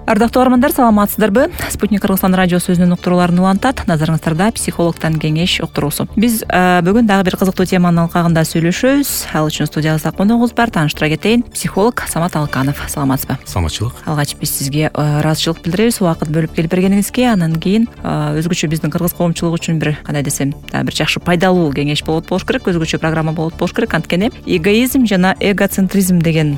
Ардактуу угармандар, саламатсыздарбы? Спутник Кыргызстан радиосу өзүнүн уктурууларын улантат. Назарыңыздарда психологтон кеңеш уктуруусу. Биз бүгүн дагы бир кызыктуу теманын алкагында сөйлөшөбүз. Ал үчүн студиябызда коногубуз бар. Тааныштыра кетейин. Психолог Самат Алыканов. Саламатсызбы? Саламатчылык. Алгач биз сизге ыраазычылык билдиребиз убакыт бөлүп келип бергениңизге. Анан кийин өзгөчө биздин кыргыз коомчулугу үчүн бир кандай десем, бир жакшы пайдалуу кеңеш болуш керек, өзгөчө программа болуш керек. Анткени эгоизм жана эгоцентризм деген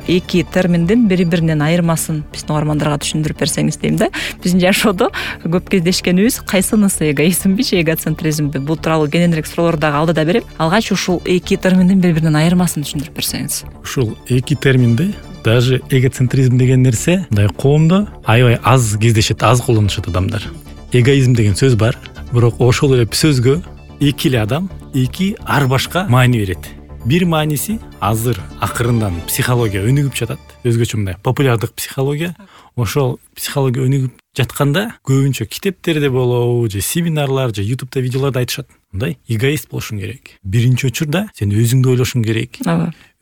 эки терминдин бири-биринен айырмасын биздин угармандарга түшүндүрүп берсеңиз дейм да. Биздин жашоодо көп кездешкенибиз кайсынысы эгоизмби же эгоцентризмби? Бул тууралуу кененирээк суроолорду дагы алдыда берем. Алгач ушул эки терминдин бири-биринен айырмасын түшүндүрүп берсеңиз. Ушул эки терминди, даже эгоцентризм деген нерсе мындай коомдо аябай аз кездешет, аз колдонушат адамдар. Эгоизм деген сөз бар, бирок ошол эле сөзгө эки эле адам эки ар башка маани берет. Бир мааниси азыр акырындан психология өнүгүп жатат. Өзгөчө мындай популярдык психология. Ошол психология өнүгүп жатканда көбүнчө китептерде болобу же семинарлар же ютубта видеолордо айтышат. Мындай эгоист болушуң керек. Биринчи учурда сен өзүңдү ойлошуң керек.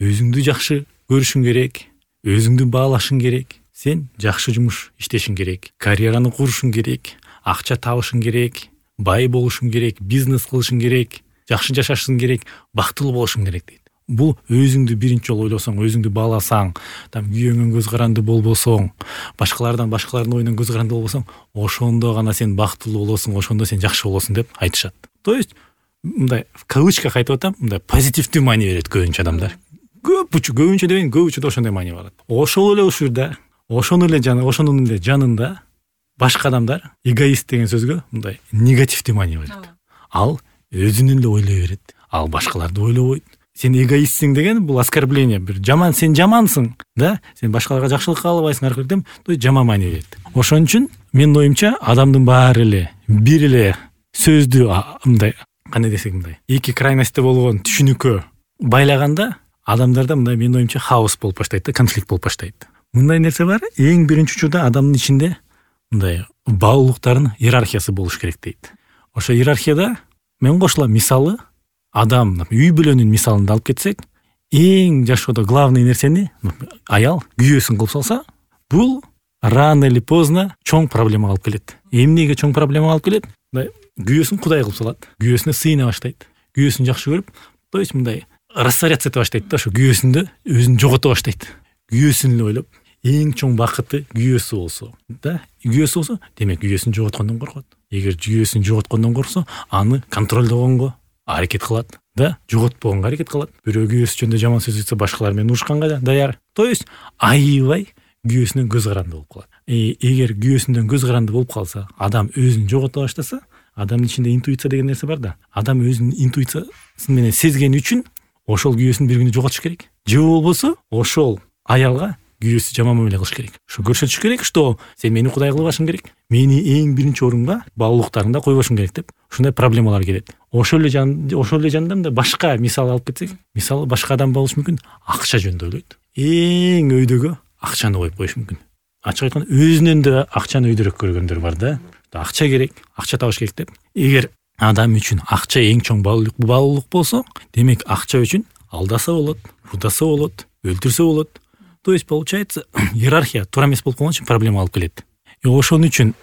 Өзүңдү жакшы көрүшүң керек. Өзүңдү баалашың керек. Сен жакшы жумуш иштешиң керек. Карьераны курушуң керек. Акча табышың керек. Бай болушуң керек. Бизнес кылышың керек. Жакшы жашашың керек, бактылуу болушуң керек дейт. Бул өзүңдү биринчи жолу ойлосоң, өзүңдү бааласаң, күйөөңөн көз каранды болбосоң, башкалардын оюнан көз каранды болбосоң, ошондо гана сен бактылуу болосуң, ошондо сен жакшы болосуң деп айтышат. То есть мындай в кавычках айтып атам, мындай позитивдүү маани берет көбүнчө адамдар. Көбүнчө дебейин, көбүнчөдө ошондой маани барат. Ошол эле учурда, ошонун эле жанында башка адамдар эгоист деген сөзгө мындай негативдүү маани берет. Ал өзүнүн эле ойлой берет. Ал башкаларды ойлобойт. Сен эгоистсиң деген бул оскорбление, бир жаман, сен жамансың, да? Сен башкаларга жакшылык каалабайсың, аркылуу дем, жаман маани берет. Ошон үчүн менин оюмча адамдын баары эле бир эле сөздү мындай, кандай десек мындай, эки крайностьте болгон түшүнүккө байлаганда адамдарда мындай менин оюмча хаос болуп баштайт да, конфликт болуп баштайт. Мындай нерсе бар, эң биринчи учурда адамдын ичинде мындай баалуулуктардын иерархиясы болуш керек дейт. Ошо иерархияда мен кошулам, мисалы, адам үй бүлөнүн мисалын алып кетсек, эң жашоодо главный нерсени аял күйөөсүн кылып салса, бул рано или поздно чоң проблема алып келет. Эмнеге чоң проблема алып келет? Күйөөсүн кудай кылып салат. Күйөөсүнө сыйына баштайт. Күйөөсүн жакшы көрүп, то есть мындай растворяться эте баштайт да, ошо күйөөсүндө өзүн жогото баштайт. Күйөөсүн эле ойлоп, эң чоң бакыты күйөөсү болсо, да, күйөөсү болсо, демек күйөөсүн жоготкондон коркот. Эгер күйөөсүн жоготкондон корксо, аны контролдогонго аракет кылат, да, жоготпогонго аракет кылат. Бирөө күйөөсү жөнүндө жаман сөз айтса, башкалар менен урушканга даяр. То есть аябай күйөөсүнөн көз каранды болуп калат. Эгер күйөөсүндөн көз каранды болуп калса, адам өзүн жогото баштаса, адамдын ичинде интуиция деген нерсе бар да. Адам өзүнүн интуициясы менен сезгени үчүн ошол күйөөсүн бир күнү жоготуш керек. Же болбосо ошол аялга күйөөсү жаман мамиле кылыш керек. Ушу көрсөтүш керек, что сен мени кудай кылбашың керек. Мени эң биринчи орунга баалуулуктарыңда койбошуң керек деп. Ушундай проблемалар келет. Ошол эле жанында башка мисал алып кетсек, мисалы башка адам болушу мүмкүн, акча жөнүндө ойлойт. Эң өйдөгө акчаны коюп коюш мүмкүн. Ачык айтканда, өзүнөн да акчаны өйдөрөөк көргөндөр бар да. Акча керек, акча табыш керек деп. Эгер адам үчүн акча эң чоң баалуулук болсо, демек акча үчүн алдаса болот, урдаса болот, өлтүрсө болот. То есть получается, иерархия туура эмес болуп калган үчүн проблема алып келет. Ошон үчүн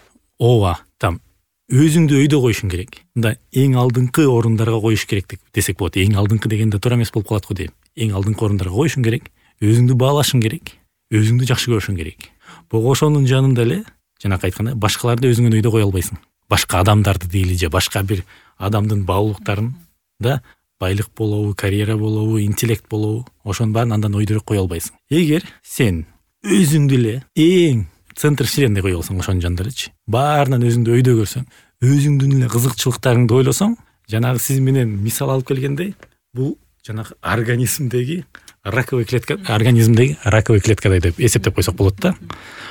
өзүңдү өйдө коюшуң керек. Мында эң алдыңкы орундарга коюш керек десек болот. Эң алдыңкы дегенде туура эмес болуп калат го дейм. Эң алдыңкы орундарга коюшуң керек, өзүңдү баалашың керек, өзүңдү жакшы көрүшүң керек. Ошонун жанында эле, жанакы айткандай, башкаларды өзүңөн өйдө кое албайсың. Башка адамдарды дейли же башка бир адамдын баалуулуктарын, да, байлык болобу, карьера болобу, интеллект болобу, ошонун баарын андан өйдөрөөк кое албайсың. Эгер сен өзүңдү эле эң центр вселенной кое алсаң, ошонун жанында элечи, баарынан өзүңдү өйдө көрсөң, өзүңдүн эле кызыкчылыктарыңды ойлосоң, жанагы сиз менен мисал алып келгендей, бул жанагы организмдеги раковый клеткадай деп эсептеп койсок болот да.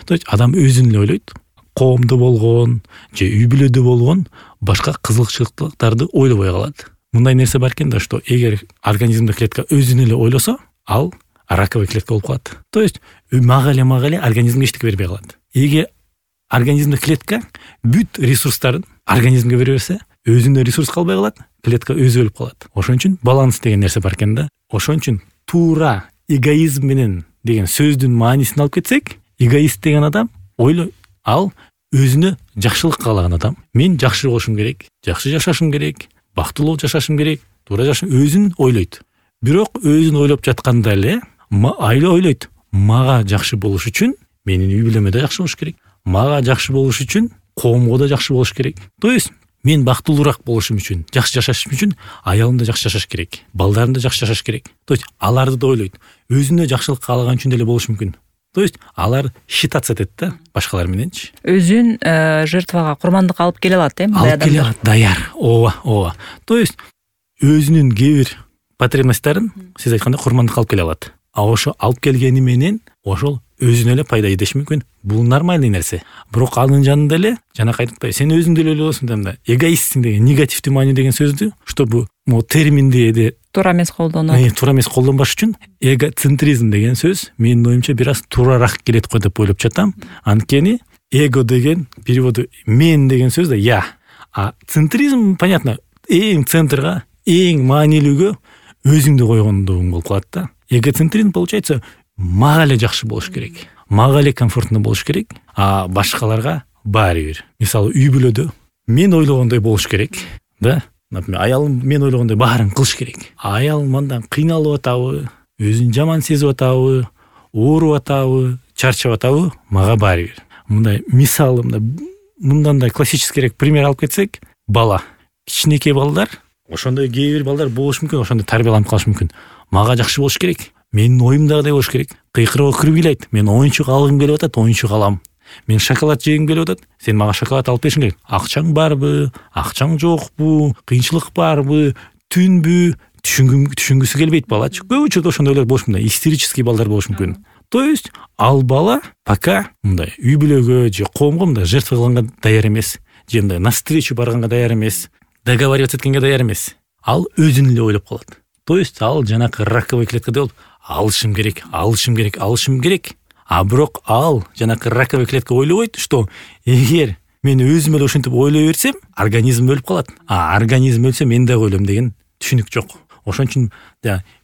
То есть адам өзүн эле ойлойт, коомдо болгон же үй бүлөдө болгон башка кызыкчылыктарды ойлобой калат. Мындай нерсе бар экен да, что эгер организмде клетка өзүн эле ойлосо, ал раковый клетка болуп калат. То есть мага эле организмге эчтеке бербей калат. Эгер организмде клетка бүт ресурстарын организмге бере берсе, өзүнө ресурс калбай калат, клетка өзү өлүп калат. Ошон үчүн баланс деген нерсе бар экен да. Ошон үчүн туура эгоизм менен деген сөздүн маанисин алып кетсек, эгоист деген адам ал өзүнө жакшылык каалаган адам. Мен жакшы болушум керек, жакшы жашашым керек, бактылуу жашашым керек, туура жашашым, өзүн ойлойт. Бирок өзүн ойлоп жатканда эле ойлойт. Мага жакшы болуш үчүн менин үй бүлөмө да жакшы болуш керек. Мага жакшы болуш үчүн коомго да жакшы болуш керек. То есть мен бактылуураак болушум үчүн, жакшы жашашым үчүн аялым да жакшы жашаш керек, балдарым да жакшы жашаш керек. То есть аларды да ойлойт. Өзүнө жакшылык каалаган үчүн деле болушу мүмкүн. То есть алар считаться этет да башкалар мененчи. Өзүн жертвага, курмандыкка алып келе алат, мындай адамдар. Алып келе алат, даяр. Ооба. То есть өзүнүн кээ бир потребностьтарын сиз айткандай курмандыкка алып келе алат. Ошо алып келгени менен ошол өзүнө эле пайда идеш мүмкүн. Бул нормальный нерсе. Бирок анын жанында эле жана кайтып сен өзүң деле ойлосуң да эгоистсиң деген негативдүү маани деген сөздү, чтобы могу терминди туура эмес колдонот. Туура эмес колдонбаш үчүн эгоцентризм деген сөз менин оюмча бир аз туурараак келет го деп ойлоп жатам. Анткени эго деген переводу мен деген сөз да я. А центризм понятно, эң центрга, эң маанилүүгө өзүңдү койгондугуң болуп калат да. Эгоцентризм получается мага эле жакшы болуш керек, мага эле комфортно болуш керек, а башкаларга баары бир. Мисалы үй бүлөдө мен ойлогондой болуш керек, да? Например, аялым мен ойлогондой баарын кылыш керек. Аялым мындан кыйналып атабы, өзүн жаман сезип атабы, ооруп атабы, чарчап атабы, мага баары бир. Мындай мисалы мындан да классическийрээк пример алып кетсек, бала. Кичинекей балдар, ошондой кээ бир балдар болуш мүмкүн, ошондой тарбияланып калыш мүмкүн. Мага жакшы болуш керек. Менин оюмдагыдай болуш керек. Кыйкырып киргилейт. Мен оюнчук алгым келип атат, оюнчук алам. Мен шоколад жегим келип атат, сен мага шоколад алып беришиң керек. Акчаң барбы, акчаң жокпу, кыйынчылык барбы, түнбү, түшүнгүсү келбейт балачы. Көп учурда ошондойлор болуш мүмкүн. Истерический балдар болуш мүмкүн. То есть ал бала пока мындай үй бүлөгө же коомго мындай жертва кылганга даяр эмес, же мындай навстречу барганга даяр эмес, договариваться эткенге даяр эмес. Ал өзүн эле ойлоп калат. То есть ал жанакы раковый клеткада болуп алышым керек. А бирок ал жанакы раковый клетка ойлобойт, что эгер мен өзүм эле ошентип ойлой берсем, организм өлүп калат. А организм өлсө мен да ойлойм деген түшүнүк жок. Ошон үчүн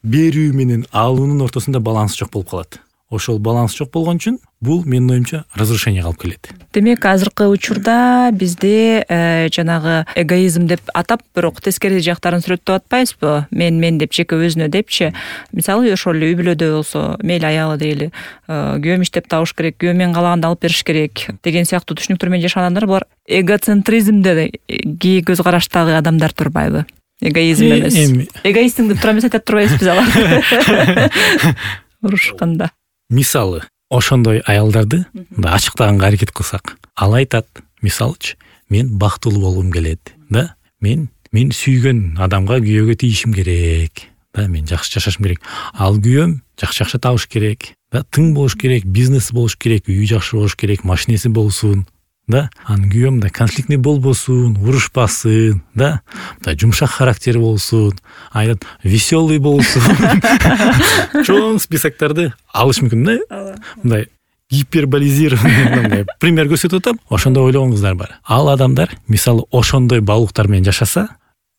берүү менен алуунун ортосунда баланс жок болуп калат. Ошол баланс жок болгон үчүн бул менин оюмча разрушенияга алып келет. Демек, азыркы учурда бизде жанагы эгоизм деп атап, бирок тескери жактарын сүрөттөп атпайбызбы? Мен деп жеке өзүнө депчи. Мисалы, ошол эле үй бүлөдө болсо, мейли аялы дейли, күйөөм иштеп табыш керек, күйөөм мен каалаганды алып бериш керек деген сыяктуу түшүнүктөр менен жашаган адамдар, булар эгоцентризмде кээ көз караштагы адамдар турбайбы? Эгоизм эмес. Эгоистиң деп тура эмес айтат турбайбызбы алар? Урушканда. Мисалы, ошондой аялдарды ачыктаганга аракет кылсак, ал айтат, мисалычы, мен бактылуу болгум келет, да? Мен сүйгөн адамга, күйөөгө тийишим керек, да? Мен жакшы жашашым керек. Ал күйөөм жакшы акча табыш керек, да? Тың болуш керек, бизнеси болуш керек, үйү жакшы болуш керек, машинеси болсун, да? Анын күйөөм да конфликтный болбосун, урушпасын, да? Жумшак характер болсун, айтат, веселый болсун. Чоң списоктарды алыш мүмкүн, да? Мындай гиперболизированный пример көрсөтүп атам. Ошондой ойлогон кыздар бар. Ал адамдар, мисалы, ошондой баалуулуктар менен жашаса,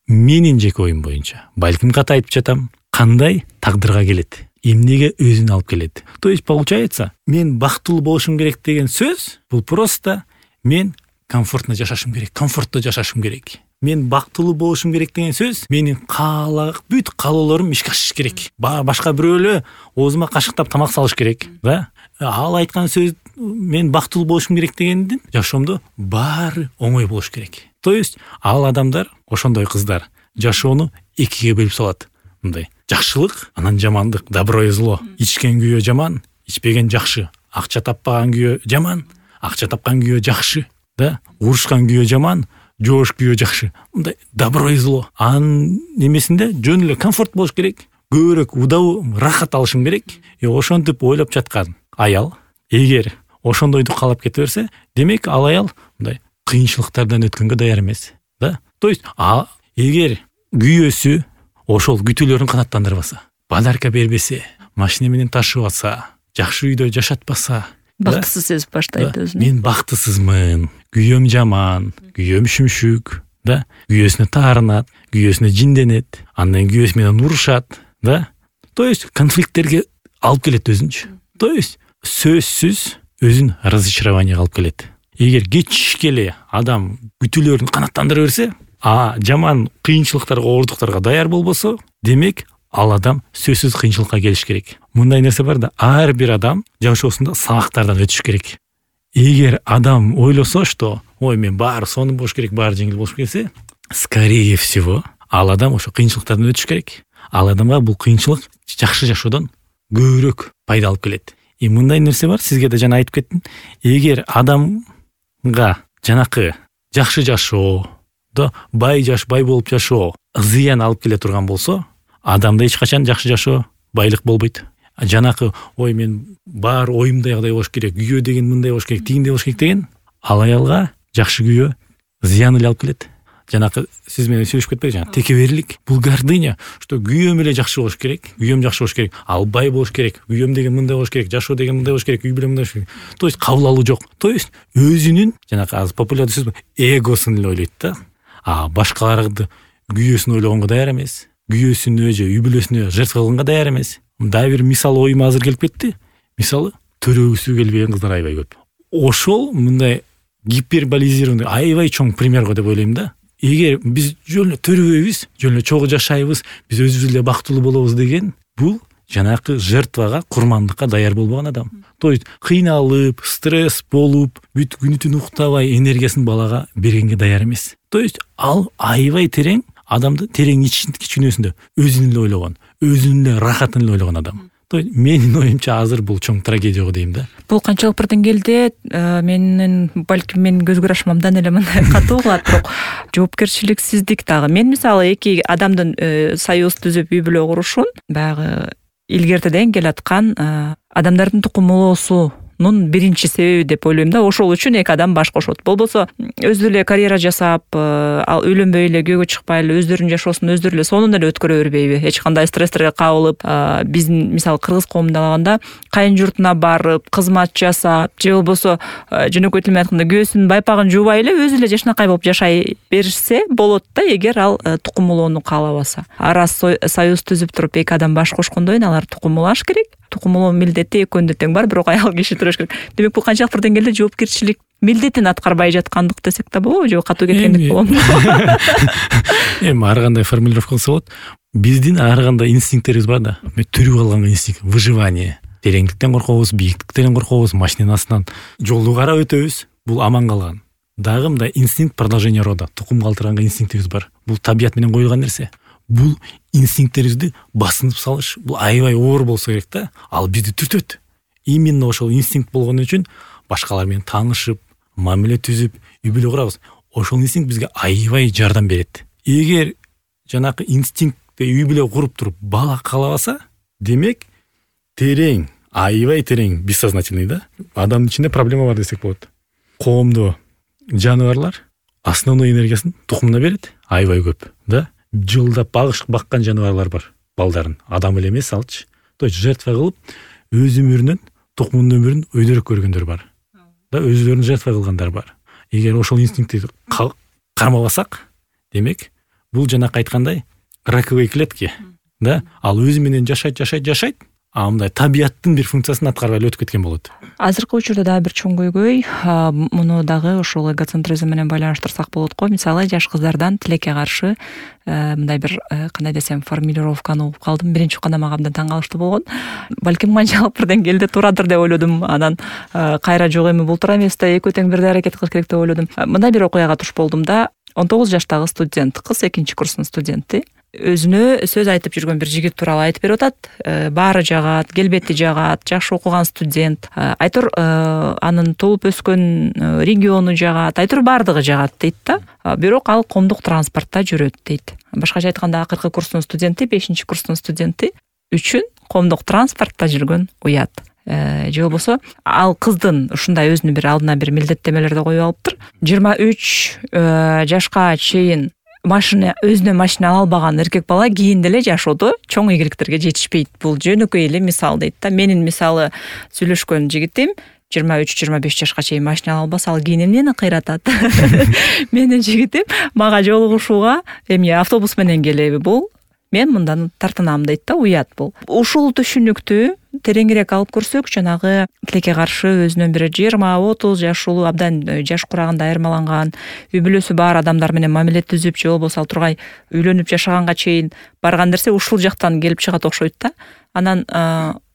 менин жеке оюм боюнча, балким ката айтып жатам, кандай тагдырга келет, эмнеге өзүн алып келет. То есть получается, мен бактылуу болушум керек деген сөз, бул просто мен комфортно жашашым керек, комфортто жашашым керек. Мен бактылуу болушум керек деген сөз, менин бүт каалоолорум ишке ашыш керек. Башка бирөө эле оозума кашыктап тамак салыш керек, да? Ал айткан сөз, мен бактылуу болушум керек дегендин жашоомдо баары оңой болуш керек. То есть ал адамдар, ошондой кыздар жашоону экиге бөлүп салат. Мындай жакшылык, анан жамандык, добро и зло. Ичкен күйөө жаман, ичпеген жакшы. Акча таппаган күйөө жаман, акча тапкан күйөө жакшы, да? Урушкан күйөө жаман, жоош күйөө жакшы. Мындай добро и зло. Анын немесинде жөн эле комфорт болуш керек, көбүрөөк удабы, рахат алышым керек. Ошентип ойлоп жаткан аял, эгер ошондойду каалап кете берсе, демек ал аял мындай кыйынчылыктардан өткөнгө даяр эмес, да? То есть эгер күйөөсү ошол күтүүлөрүн канааттандырбаса, подарка бербесе, машина менен ташып атса, жакшы үйдө жашатпаса, бактысыз сезип баштайт өзүн. Мен бактысызмын, күйөөм жаман, күйөөм шүмшүк, да? Күйөөсүнө таарынат, күйөөсүнө жинденет, андан күйөөсү менен урушат, да? То есть конфликттерге алып келет өзүнчө. То есть сөзсүз өзүн разочарованияга алып келет. Эгер кечке эле адам күтүүлөрүн канааттандыра берсе, жаман кыйынчылыктарга, оордуктарга даяр болбосо, демек ал адам сөзсүз кыйынчылыкка келиш керек. Мындай нерсе бар да, ар бир адам жашоосунда сабактардан өтүш керек. Эгер адам ойлосо, что мен баары сонун болуш керек, баары жеңил болуш керек десе, скорее всего, ал адам ошо кыйынчылыктардан өтүш керек. Ал адамга бул кыйынчылык жакшы жашоодон көбүрөөк пайда алып келет. Мындай нерсе бар, сизге да жана айтып кеттим. Эгер адамга жанакы жакшы жашоо, бай болуп жашоо зыян алып келе турган болсо, адамда эч качан жакшы жашоо, байлык болбойт. Жанакы мен баары оюмдагыдай болуш керек, күйөө деген мындай болуш керек, тигиндей болуш керек деген, ал аялга жакшы күйөө зыян эле алып келет. Жанакы сиз менен сүйлөшүп кетпедик, текеберлик, бул гордыня, что күйөөм эле жакшы болуш керек, күйөөм жакшы болуш керек, ал бай болуш керек, күйөөм деген мындай болуш керек, жашоо деген мындай болуш керек, үй бүлө мындай болуш керек. То есть кабыл алуу жок. То есть өзүнүн жанакы азыр популярдуу сөз эгосун эле ойлойт да. Башкаларды күйөөсүн ойлогонго даяр эмес, күйөөсүнө же үй бүлөсүнө жертва кылганга даяр эмес. Дагы бир мисал оюма азыр келип кетти. Мисалы, төрөгүсү келбеген кыздар аябай көп. Ошол мындай гиперболизированный аябай чоң пример го деп ойлойм да. Эгер биз жөн эле төрөбөйбүз, жөн эле чогуу жашайбыз, биз өзүбүз эле бактылуу болобуз деген, бул жанакы жертвага, курмандыкка даяр болбогон адам. То есть кыйналып, стресс болуп, бүт күнү түнү уктабай энергиясын балага бергенге даяр эмес. То есть ал аябай терең, адамды терең кичинөсүндө өзүн эле ойлогон, өзүнүн эле рахатын эле ойлогон адам. То есть менин оюмча азыр бул чоң трагедия го дейм да. Бул канчалык бир деңгээлде балким менин көз карашымдан эле мындай катуу кылат, бирок жоопкерчиликсиздик дагы. Мен мисалы эки адамдын союз түзүп үй бүлө курушун баягы илгертеден келаткан адамдардын тукумулоосунун биринчи себеби деп ойлойм да. Ошол үчүн эки адам баш кошот. Болбосо өзү эле карьера жасап, ал үйлөнбөй эле, күйөөгө чыкпай эле өздөрүнүн жашоосун өздөрү эле сонун эле өткөрө бербейби? Эч кандай стресстерге кабылып, биздин мисалы кыргыз коомунда алганда кайын журтуна барып, кызмат жасап, же болбосо жөнөкөй тил менен айтканда күйөөсүнүн байпагын жуубай эле өзү эле жашынакай болуп жашай берсе болот да, эгер ал тукумулоону каалабаса. Раз союз түзүп туруп эки адам баш кошкондон кийин алар тукумулаш керек. Тукумулоо милдети экөөнүндө тең бар, бирок аял киши төрөш керек. Демек бул канчалык бир деңгээлде жоопкерчилик милдетин аткарбай жаткандык десек да болобу, же катуу кеткендик болобу? Ар кандай формулировка кылса болот. Биздин ар кандай инстинкттерибиз бар да. Түрүп алган инстинкт, выживание. Тереңдиктен коркобуз, бийиктиктен коркобуз, машинанын астынан жолду карап өтөбүз. Бул аман калган. Дагы мындай инстинкт продолжение рода, тукум калтырганга инстинктибиз бар. Бул табият менен коюлган нерсе. Бул инстинкттерибизди басынып салыш, бул аябай оор болсо керек да. Ал бизди түртөт. Именно ошол инстинкт болгон үчүн башкалар менен таанышып, мамиле түзүп, үй бүлө курабыз. Ошол инстинкт бизге аябай жардам берет. Эгер жанакы инстинктте үй бүлө куруп туруп бала каалабаса, демек терең, аябай терең, бессознательный да. Адамдын ичинде проблема бар десек болот. Коомдо жаныбарлар основной энергиясын тукумуна берет, аябай көп, да. Жылдап баккан жаныбарлар бар, балдарын. Адам эле эмес алчы. То есть жертва кылып, өз өмүрүнөн, тукумунун өмүрүн өйдөрөк көргөндөр бар. Да, өзлөрүн жертва кылгандар бар. Эгер ошол инстинктти кармабасак, демек, бул жанакы айткандай раковые клетки, да, ал өзү менен жашайт, мындай табияттын бир функциясын аткарбай эле өтүп кеткен болот. Азыркы учурда дагы бир чоң көйгөй, муну дагы ошол эгоцентризм менен байланыштырсак болот го. Мисалы, жаш кыздардан тилекке каршы мындай бир кандай десем формулировканы угуп калдым. Биринчи укканда мага абдан таң калыштуу болгон. Балким канчалык бир деңгээлде турадыр деп ойлодум. Анан кайра жок эми бул туура эмес да, экөө тең бирдей аракет кылыш керек деп ойлодум. Мындай бир окуяга туш болдум да. 19 жаштагы студент, кыз 2-нчи курстун студенти. Өзүнө сөз айтып жүргөн бир жигит тууралуу айтып берип атат. Баары жагат, келбети жагат, жакшы окуган студент. Айтор анын туулуп өскөн региону жагат, айтор баардыгы жагат дейт да. Бирок ал коомдук транспортто жүрөт дейт. Башкача айтканда, акыркы курстун студенти, 5-нчи курстун студенти үчүн коомдук транспортто жүргөн уят. Же болбосо ал кыздын ушундай өзүнүн бир алдына бир милдеттемелерди коюп алыптыр. 23 жашка чейин өзүнө машина ала албаган эркек бала кийин деле жашоодо чоң ийгиликтерге жетишпейт. Бул жөнөкөй эле мисал дейт да. Менин мисалы сүйлөшкөн жигитим 23-25 жашка чейин машина ала албаса, ал кийин эмнени кыйратат? Менин жигитим мага жолугушууга эми автобус менен келеби бул? Мен мындан тартынам дейт да, уят бул. Ушул түшүнүктү тереңирээк алып көрсөк, жанагы тилекке каршы өзүнөн бир 20-30 жаш улуу абдан жаш курагында айырмаланган, үй бүлөсү бар адамдар менен мамиле түзүп, же болбосо ал тургай үйлөнүп жашаганга чейин барган нерсе ушул жактан келип чыгат окшойт да. Анан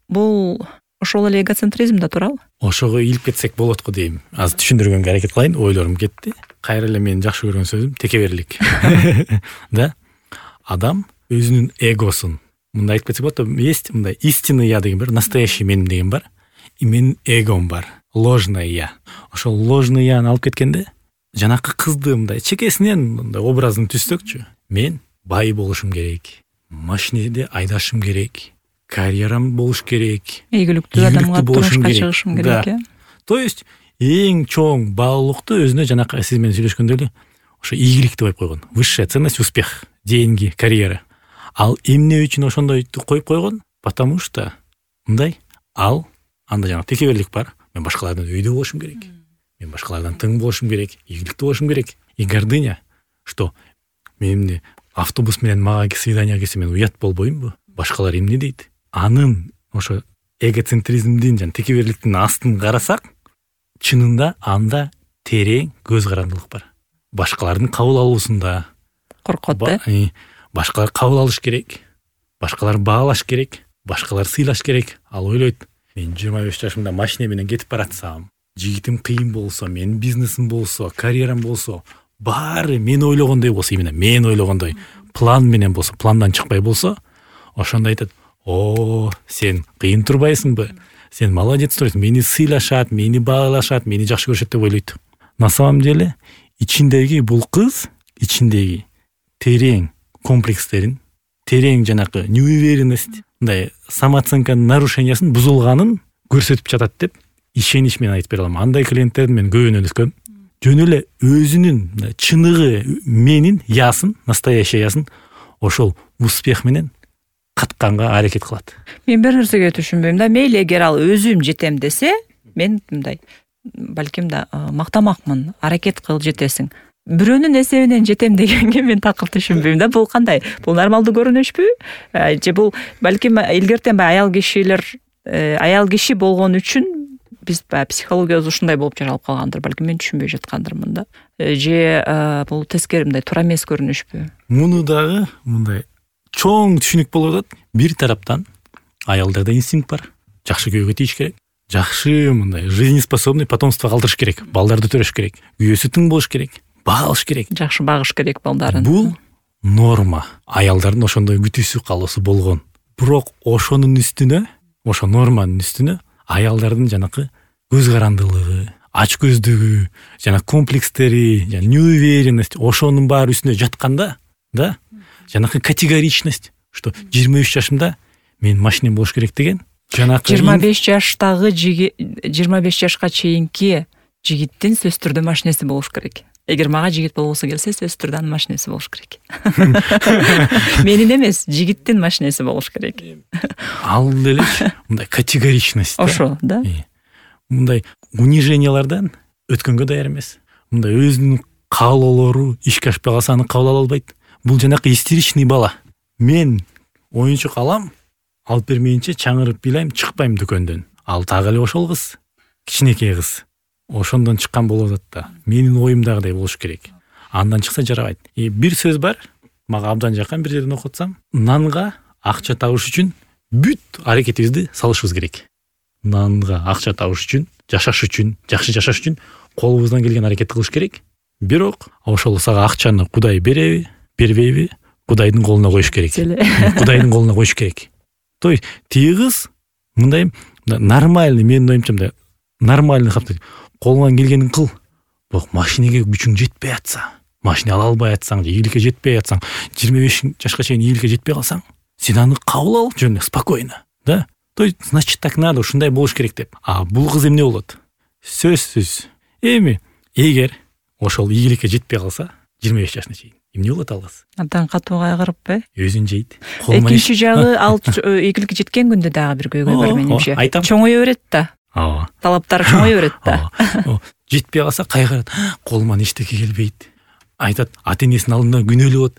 бул ошол эле эгоцентризм да туурабы? Ошого ийилип кетсек болот го дейм. Азыр түшүндүргөнгө аракет кылайын, ойлорум кетти. Кайра эле менин жакшы көргөн сөзүм текеберлик. Да? Адам өзүнүн эгосун мындай айтып кетсек болот, есть мындай истинный я деген бар, настоящий менин деген бар. И менин эгом бар, ложное я. Ошол ложный яны алып кеткенде, жанакы кызды мындай чекесинен мындай образын түзсөкчү. Мен бай болушум керек, машинеде айдашым керек, карьерам болуш керек, ийгиликтүү адамга турмушка чыгышым керек. То есть эң чоң баалуулукту өзүнө жанакы сиз менен сүйлөшкөндө эле ошо ийгилик деп коюп койгон. Высшая ценность успех, деньги, карьера. Ал эмне үчүн ошондойду коюп койгон? Потому что мындай анда жана текеберлик бар. Мен башкалардан өйдө болушум керек. Мен башкалардан тың болушум керек, ийгиликтүү болушум керек. И гордыня, что мен автобус менен мага свидание келсе мен уят болбоймбу? Башкалар эмне дейт? Анын ошо эгоцентризмдин жана текеберликтин астын карасак, чынында анда терең көз карандылык бар. Башкалардын кабыл алуусунда коркот да. Башкалар кабыл алыш керек, башкалар баалаш керек, башкалар сыйлаш керек. Ал ойлойт, мен 25 жашымда машина менен кетип баратсам, жигитим кыйын болсо, менин бизнесим болсо, карьерам болсо, баары мен ойлогондой болсо, именно мен ойлогондой план менен болсо, пландан чыкпай болсо, ошондо айтат: "О, сен кыйын турбайсыңбы? Сен молодец турасың, мени сыйлашат, мени баалашат, мени жакшы көрүшөт" деп ойлойт. На самом деле, ичиндеги бул кыз, ичиндеги терең комплекстерин, терең жанакы неуверенность, мындай самооценканын нарушениясын бузулганын көрсөтүп жатат деп ишенич менен айтып бере алам. Андай клиенттердин мен көбүнө өткөм. Жөн эле өзүнүн чыныгы менин ясын, настоящий ясын ошол успех менен катканга аракет кылат. Мен бир нерсеге түшүнбөйм да, мейли эгер ал өзүм жетем десе, мен мындай балким да мактамакмын, аракет кыл жетесиң. Бирөөнүн эсебинен жетем дегенге мен такыр түшүнбөйм да. Бул кандай? Бул нормалдуу көрүнүшпү? Же бул балким илгертен аял киши болгон үчүн биз психологиябыз ушундай болуп жаралып калгандыр. Балким мен түшүнбөй жаткандырмын да. Же бул тескери мындай туура эмес көрүнүшпү? Муну дагы мындай чоң түшүнүк болуп атат. Бир тараптан аялдарда инстинкт бар. Жакшы күйөөгө тийиш керек. Жакшы мындай жизнеспособный потомство калтырыш керек. Балдарды төрөш керек. Күйөөсү тың болуш керек. Багыш керек. Жакшы багыш керек балдарын. Бул норма. Аялдардын ошондой күтүүсү калоосу болгон. Бирок ошонун үстүнө, ошо норманын үстүнө аялдардын жанакы көз карандылыгы, ач көздүгү, жана комплекстери, жана неуверенность ошонун баары үстүнө жатканда, да, жанакы категоричность, что 23 жашымда мен машинем болуш керек деген, жанакы 25 жаштагы 25 жашка чейинки жигиттин сөзсүз түрдө машинеси болуш керек. Эгер мага жигит болбосо келсе, сөзсүз түрдө анын машинеси болуш керек. Менин эмес, жигиттин машинеси болуш керек. Ал делеч мындай категоричность. Ошо, да. Мындай унижениялардан өткөнгө даяр эмес. Мындай өзүнүн каалоолору ишке ашпай калса аны кабыл ала албайт. Бул жанакы истеричный бала. Мен оюнчук алам, алып бермейинче чаңырып билайм, чыкпайм дүкөндөн. Ал так эле ошол кыз, кичинекей кыз. Ошондон чыккан болуп атат да. Менин оюмдагыдай болуш керек. Андан чыкса жарабайт. Бир сөз бар, мага абдан жаккан, бир жерден окуп атсам, нанга акча табыш үчүн бүт аракетибизди салышыбыз керек. Нанга акча табыш үчүн, жашаш үчүн, жакшы жашаш үчүн колубуздан келген аракетти кылыш керек. Бирок ошол сага акчаны Кудай береби, бербейби, Кудайдын колуна коюш керек. Кудайдын колуна коюш керек. То есть тиги кыз мындай нормальный, менин оюмча мындай нормальный капты. Колуңан келгенин кыл. Бирок машинеге күчүң жетпей атса, машина ала албай атсаң, ийгиликке жетпей атсаң, 25 жашка чейин ийгиликке жетпей калсаң, сен аны кабыл ал жөн спокойно, да? То есть значит так надо, ушундай болуш керек деп. Бул кыз эмне болот? Сөзсүз. Эгер ошол ийгиликке жетпей калса, 25 жашына чейин эмне болот ал кыз? Абдан катуу кайгырыппы? Өзүн жейт. Экинчи жагы ал ийгиликке жеткен күндө дагы бир көйгөй бар менимче. Чоңое берет да. Талаптары чоңое берет да. Жетпей калса кайгырат. Колуман эчтеке келбейт. Айтат, ата-энесинин алдында күнөөлөп,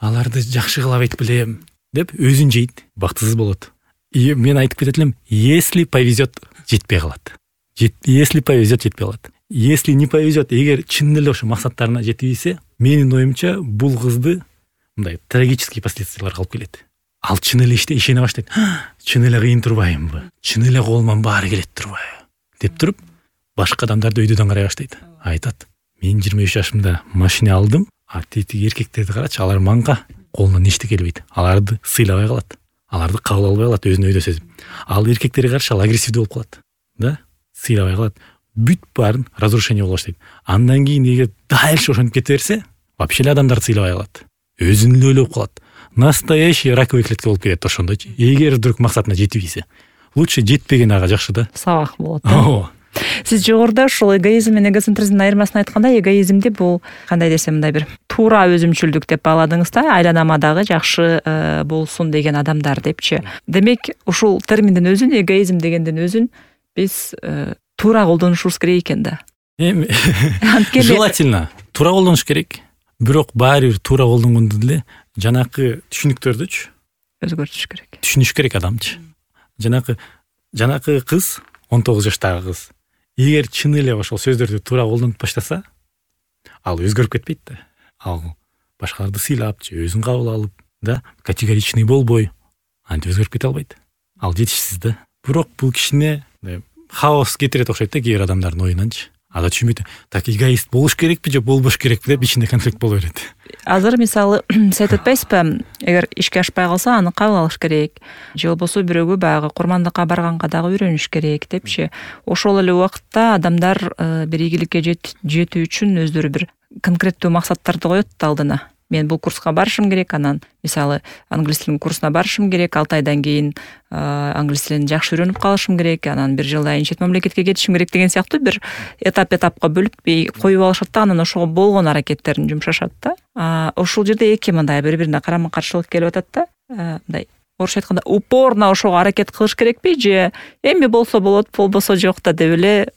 аларды жакшы кыла албайт билем деп өзүн жейт. Бактысыз болот. мен айтып кетет элем, если повезет жетпей калат. Если повезет жетпей калат. Если не повезет, эгер чын эле ошо максаттарына жетип ийсе, менин оюмча бул кызды мындай трагический последствияларга алып келет. Ал чын эле ишене баштайт. Чын эле кыйын турбаймынбы? Чын эле колуман баары келет турбайбы? Деп туруп, башка адамдарды өйдөдөн карай баштайт. Айтат, мен 23 жашымда машина алдым, а тиги эркектерди карачы, алар манга колунан эчтеке келбейт. Аларды сыйлабай калат. Аларды кабыл албай калат, өзүнө өйдө сезип. Ал эркектерге каршы ал агрессивдүү болуп калат. Да? Сыйлабай калат. Бүт баарын разрушение болуп баштайт. Андан кийин эгер дальше ошентип кете берсе, вообще эле адамдарды сыйлабай калат. Өзүн эле ойлоп калат. Настоящий раковый клетка болуп кетет ошондойчу. Эгер вдруг максатына жетип ийсе. Лучше жетпеген ага жакшы да. Сабак болот. Сиз жогоруда ушул эгоизм менен эгоцентризмдин айырмасын айтканда, эгоизмди бул кандай десем, мындай бир туура өзүмчүлдүк деп бааладыңыз да, айланама дагы жакшы болсун деген адамдар депчи. Демек, ушул терминдин өзүн, эгоизм дегендин өзүн биз туура колдонушубуз керек экен да. Желательно туура колдонуш керек. Бирок баары бир туура колдонгондо деле жанакы түшүнүктөрдүчү өзгөртүш керек. Түшүнүш керек адамчы. Жанакы кыз, 19 жаштагы кыз, эгер чын эле ошол сөздөрдү туура колдонуп баштаса, ал өзгөрүп кетпейт да. Ал башкаларды сыйлапчы, өзүн кабыл алып, да, категоричный болбой, антип өзгөрүп кете албайт. Ал жетишсиз да. Бирок бул кишине хаос кетирет окшойт да кээ бир адамдардын оюнанчы. Ада түшүнбөйт. Так эгоист болуш керекпи же болбош керекпи деп ичинде конфликт боло берет. Азыр мисалы сиз айтып атпайсызбы, эгер ишке ашпай калса, аны кабыл алыш керек. Же болбосо бирөөгө баягы курмандыкка барганга дагы үйрөнүш керек депчи. Ошол эле убакытта адамдар бир ийгиликке жетүү үчүн өздөрү бир конкреттүү максаттарды коет да алдына. Мен бул курска барышым керек, анан мисалы англис тилинин курсуна барышым керек, 6 айдан кийин англис тилин жакшы үйрөнүп калышым керек, анан 1 жылдан кийин чет мамлекетке кетишим керек деген сыяктуу бир этапка бөлүп коюп алышат да, анан ошого болгон аракеттерин жумшашат да. Ошол жерде эки мындай бири-бирине карама-каршылык келип атат да. Мындай орусча айтканда упорно ошого аракет кылыш керекпи же эми болсо болот, болбосо жок да деп эле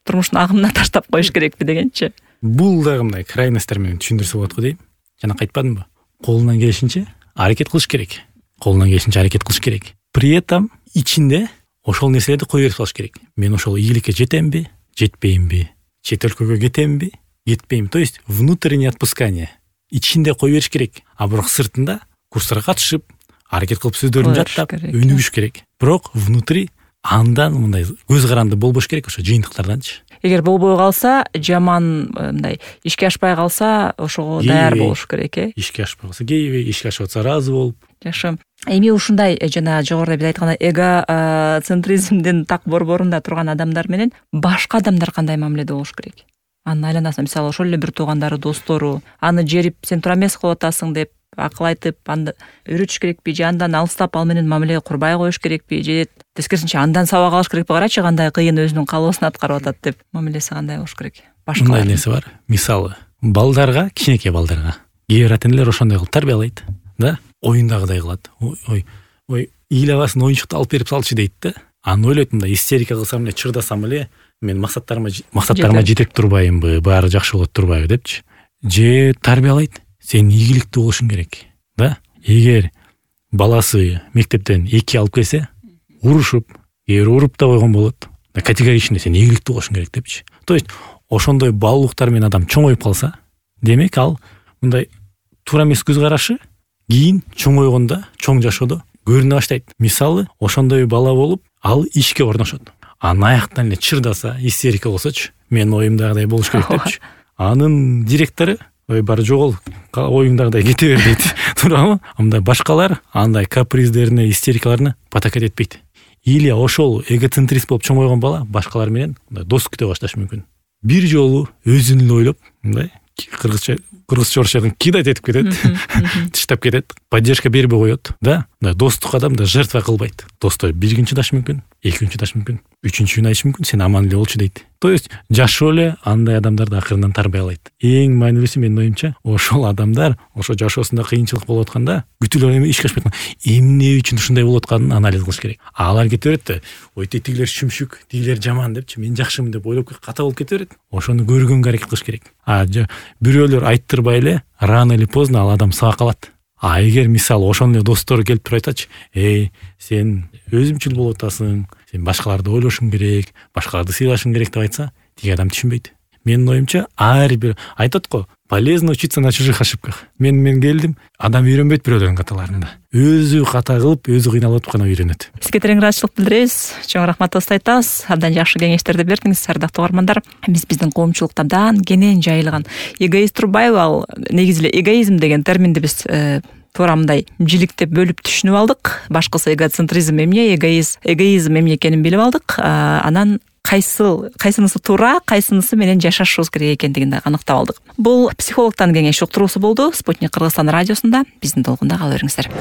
турмуштун агымына таштап коюш керекпи дегенчи. Бул дагы мындай крайностьтер менен түшүндүрсө болот го дейм. Жана айтпадымбы? Колунан келишинче аракет кылыш керек. Колунан келишинче аракет кылыш керек. При этом ичинде ошол нерселерди кое берип салыш керек. Мен ошол ийгиликке жетемби, жетпеймби? Чет өлкөгө кетемби, кетпеймби? То есть внутреннее отпускание. Ичинде кое бериш керек. А бирок сыртында курстарга катышып, аракет кылып сөздөрүн жаттап, өнүгүш керек. Бирок внутри андан мындай көз каранды болбош керек ошо жыйынтыктарданчы. Эгер болбой калса, жаман мындай ишке ашпай калса, ошого даяр болуш керек, Ишке ашпай калса, кейбей, ишке ашып атса ыраазы болуп. Жакшы. Эми ушундай жана жогоруда биз айткандай эгоцентризмдин так борборунда турган адамдар менен башка адамдар кандай мамиледе болуш керек? Анын айланасында мисалы ошол эле бир туугандары, достору, аны жерип сен туура эмес кылып атасың деп акыл айтып, аны үйрөтүш керекпи же андан алыстап ал менен мамиле курбай коюш керекпи же тескерисинче андан сабак алыш керекпи? Карачы кандай кыйын өзүнүн каалоосун аткарып атат деп мамилеси кандай болуш керек? Башкалар нерсе бар. Мисалы, балдарга, кичинекей балдарга кээ бир ата-энелер ошондой кылып тарбиялайт, да? Оюндагыдай кылат. Ой, ыйлабасын оюнчукту алып берип салчы дейт да. Аны ойлойт, мындай истерика кылсам эле, чырдасам эле, мен максаттарыма жетип турбаймынбы, баары жакшы болот турбайбы депчи. Же тарбиялайт. Сен ийгиликтүү болушуң керек, да? Эгер баласы мектептен 2 алып келсе, урушуп, уруп да койгон болот. Категоричный сен ийгиликтүү болушуң керек депчи. То есть ошондой баалуулуктар менен адам чоңоюп калса, демек ал мындай туура эмес көз карашы кийин чоңойгондо, чоң жашоодо көрүнө баштайт. Мисалы, ошондой бала болуп, ал ишке орношот. Анын аяктан эле чырдаса, истерика болсочу, мен оюмдагыдай болуш керек депчи. Анын директору бары жогол, оюңдагыдай кете бер дейт. Туурабы? Мындай башкалар андай каприздерине, истерикаларына потакать этпейт. Или ошол эгоцентрист болуп чоңойгон бала башкалар менен достук күтө башташы мүмкүн. Бир жолу өзүн эле ойлоп, мындай кыргызча орусчадан кидать этип кетет, тыштап кетет, поддержка бербей коет, да? Достук адам да жертва кылбайт. Достор 1 күн чыдашы мүмкүн, 2 күн чыдашы мүмкүн, 3-күн айтышы мүмкүн, сен аман эле болчу дейт. То есть жашоо эле андай адамдарды акырынан тарбиялайт. Эң маанилүүсү менин оюмча, ошол адамдар ошо жашоосунда кыйынчылык болуп атканда, бүтүлөр эми ишке ашпай атканда, эмне үчүн ушундай болуп атканын анализ кылыш керек. Алар кете берет да, ой тигилер шүмшүк, тигилер жаман депчи, мен жакшымын деп ойлоп ката болуп кете берет. Ошону көргөнгө аракет кылыш керек. Бирөөлөр айттырбай эле, рано или поздно ал адам сабак алат. эгер мисалы ошондой эле достор келип туруп айтачы, сен өзүмчүл болуп атасың, сен башкаларды ойлошуң керек, башкаларды сыйлашың керек деп айтса, тиги адам түшүнбөйт. Менин оюмча, ар бир айтат го, полезно учиться на чужих ошибках. Мен келдим, адам үйрөнбөйт бирөөлөрдүн каталарында. Өзү ката кылып, өзү кыйналып гана үйрөнөт. Сизге терең ыраазычылык билдиребиз. Чоң рахматыбызды айтабыз. Абдан жакшы кеңештерди бердиңиз, ардактуу угармандар. Биздин коомчулукта абдан кенен жайылган эгоист Турбаева, ал негизи эле эгоизм деген терминди биз туура мындай жиликтеп бөлүп түшүнүп алдык. Башкысы эгоцентризм эмне, эгоизм эмне экенин билип алдык. Анан кайсынысы туура, кайсынысы менен жашашыбыз керек экендигин аныктап алдык. Бул психологдун кеңеш уктуруусу болду. Спутник Кыргызстан радиосунда биздин толкунда кала бериңиздер.